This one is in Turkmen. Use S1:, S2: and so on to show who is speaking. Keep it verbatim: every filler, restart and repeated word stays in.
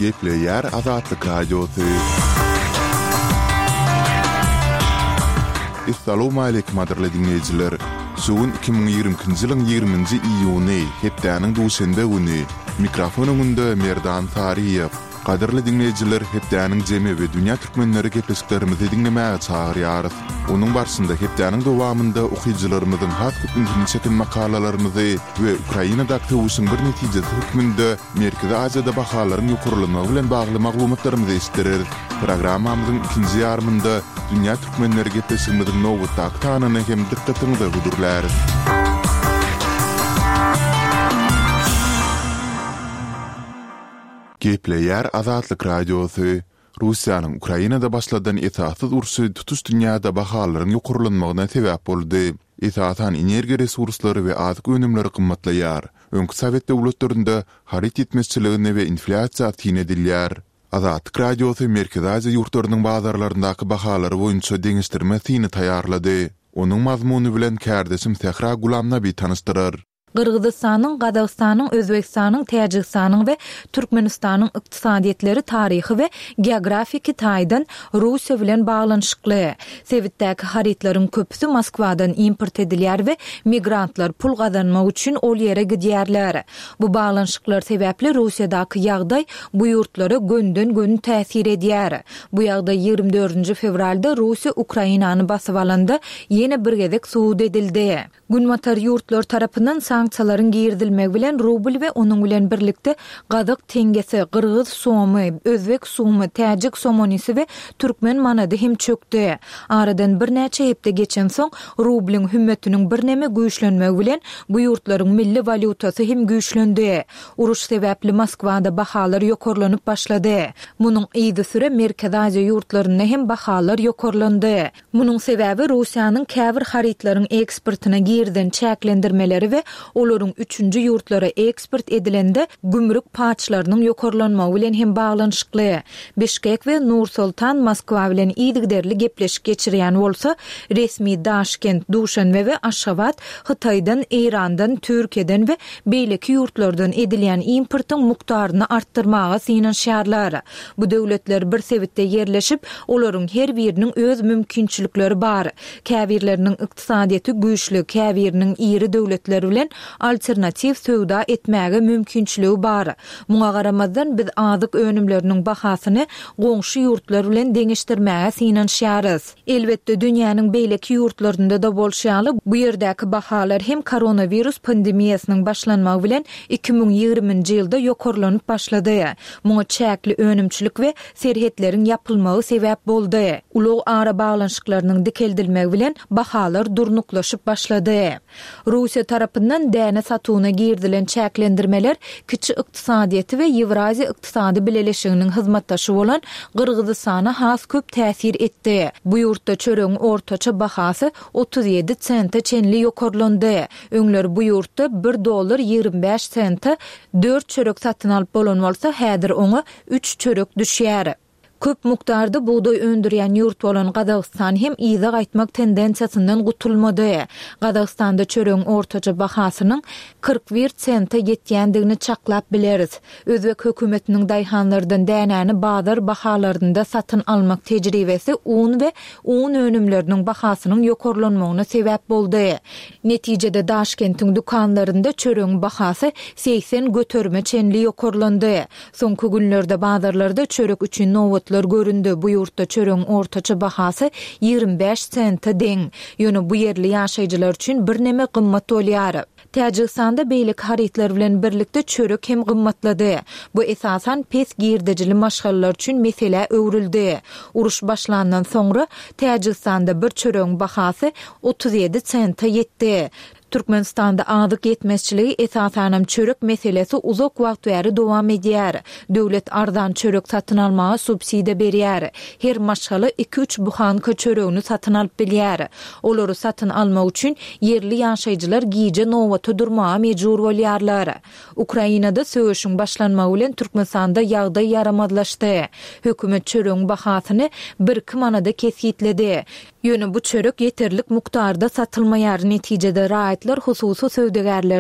S1: Gepleýär Azatlyk Radiosy. Essalawmaleýkim gadyrly diňleýjiler! Şu gün iki müň ýigrimi ikinji ýylyň ýigriminji iýuny, hepdäniň duşenbe güni. Mikrofon öňünde Merdan Saryýew. Gadyrly diňleýjiler, hepdäniň jemi we dünýä türkmenleri gepleşiklerimizi diňlemäge çagyrýarys. Onuň barşynda hepdäniň dowamynda okyjylarymyzyň has köp ünsüni çeken makalalarymyzy we Ukrainadaky söweşiň bir netijesi hökmünde Merkezi Aziýada bahalaryň ýokarlanmagy bilen bagly maglumatlarymyzy eşitdireris. Programmamyzyň ikinji ýarymynda Dünýä türkmenleri gepleşigimiziň nobatdaky sanyny hem dykgatyňyza hödürläris. Gepleýär Azatlyk Radiosy, Russiýanyň Ukrainada başladan esassyz urşy tutuş dünýäde bahalaryň ýokarlanmagyna sebäp boldy. Esasan energiýa resurslary we azyk önümleri gymmatlaýar. Öňki sowet döwletlerinde haryt ýetmezçiligine we inflýasiýa syn edilýär. Azatlyk Radiosy Merkezi Aziýa ýurtlarynyň bazarlaryndaky bahalary boýunça deňeşdirme syny taýýarlady. Onuň mazmuny bilen kärdeşim Sähra Gulamnabi tanyşdyrar.
S2: Gyrgyzystanyň, Gazagystanyň, Özbegistanyň, Täjigistanyň we Türkmenistanyň ykdysadyýetleri taryhy we geografiki taýdan Russiýa bilen baglanyşykly. Sebitdäki harytlaryň köpüsi Moskwadan import edilýär we migrantlar pul gazanmak üçin ol ýere gidýärler. Bu baglanyşyklar sebäpli Russiýadaky ýagdaý bu ýurtlara gönden-göni täsir edýär. Bu ýagdaý ýigrimi dördünji fewralda Russiýa Ukrainany basyp alanda ýene bir gezek subut edildi. Günbatar ýurtlar tarapyndan sanksiýalaryň girizilmegi bilen rubl we onuň bilen birlikde gazak teňňesi, gyrgyz somy, özbek sumy, täjik somonisi we türkmen manady hem çökdi. Aradan birnäçe hepde geçensoň, rublyň hümmetiniň birneme güýçlenmegi bilen bu ýurtlaryň milli walýutasy hem güýçlendi. Uruş sebäpli Moskwada bahalar ýokarlanyp başlady. Munuň yzysüre Merkezi Aziýa ýurtlarynda hem bahalar ýokarlandy. Munuň sebäbi Russiýanyň käbir harytlaryň eksportyna girizen çäklendirmeleri we olaryň üçünji ýurtlara eksport edilende gümrük paçlarynyň ýokarlanmagy bilen hem baglanyşykly. Bişkek we Nur-Sultan Moskwa bilen yzygiderli gepleşik geçirýän bolsa, resmi Daşkent, Duşanbe we Aşgabat Hytaýdan, Eýrandan, Türkiýeden we beýleki ýurtlardan edilýän importyň mukdaryny artdyrmaga synanyşýarlar. Bu döwletler bir sebitde ýerleşip, olaryň her biriniň öz mümkinçilikleri bar. Käbirleriniň ykdysadyýeti güýçli, käbiriniň iri döwletler bilen alternatiw söwda etmäge mümkinçiligi bar. Muňa garamazdan, biz azyk önümleriniň bahasyny goňşy ýurtlar bilen deňeşdirmäge synanyşýarys. Elbetde, dünýäniň beýleki ýurtlarynda-da bolşy ýaly, bu ýerdäki bahalar hem koronawirus pandemiýasynyň başlanmagy bilen iki müň ýigriminji ýylda ýokarlanyp başlady. Muňa çäkli önümçilik we serhetleriň ýapylmagy sebäp boldy. Ulag arabaglanyşyklarynyň dikeldilmegi bilen bahalar durnuklaşyp başlady. Russiýa tarapyndan däne satuwyna girizilen çäklendirmeler kiçi ykdysadyýeti we Ýewraziýa ykdysady bileleşiginiň hyzmatdaşy bolan Gyrgyzystana has köp täsir etdi. Bu ýurtda çöregiň ortaça bahasy otuz ýedi sente çenli ýokarlandy. Öňler bu ýurtda bir dollar ýigrimi bäş sente dört çörek satyn alyp bolan bolsa, häzir oňa üç çörek düşýär. Köp mukdarda bugdaý öndürýän ýurt bolan Gazagystan hem yza gaýtmak tendensiýasyndan gutulmady. Gazagystanda çöregiň ortaça bahasynyň kyrk bir sente ýetýändigini çaklap bileris. Özbek hökümetiniň daýhanlardan dänäni bazar bahalarynda satyn almak tejribesi un we un önümleriniň bahasynyň ýokarlanmagyna sebäp boldy. Netijede Daşkentiň dükanlarynda çöregiň bahasy segsen göterime çenli ýokarlandy. Soňky günlerde bazarlarda çörek üçin nobatlar göründi, bu ýurtda çöregiň ortaça bahasy ýigrimi bäş sente deň. Ýöne bu ýerli ýaşaýjylar üçin birneme gymmat bolýar. Täjigistanda beýleki harytlar bilen birlikde çörek hem gymmatlady. Bu esasan pes girdejili maşgalalar üçin meselä öwrüldi. Uruş başlandan soňra Täjigistanda bir çöregiň bahasy otuz ýedi sente ýetdi. Türkmenistanda azyk ýetmezçiligi, esasanam çörek meselesi uzak wagt bäri dowam edýär. Döwlet arzan çörek satyn almaga subsidiýa berýär. Her maşgala iki-üç buhanka çöregini satyn alyp bilýär. Olary satyn almak üçin ýerli ýaşaýjylar gije nobata durmaga mejbur bolýarlar. Ukrainada söweşiň başlanmagy bilen Türkmenistanda ýagdaý ýaramazlaşdy. Hökümet çöregiň bahasyny bir-iki manada kesgitledi. Ýöne bu çörek ýeterlik mukdarda satylmaýar, netijede raýatlar hususy söwdagärlerden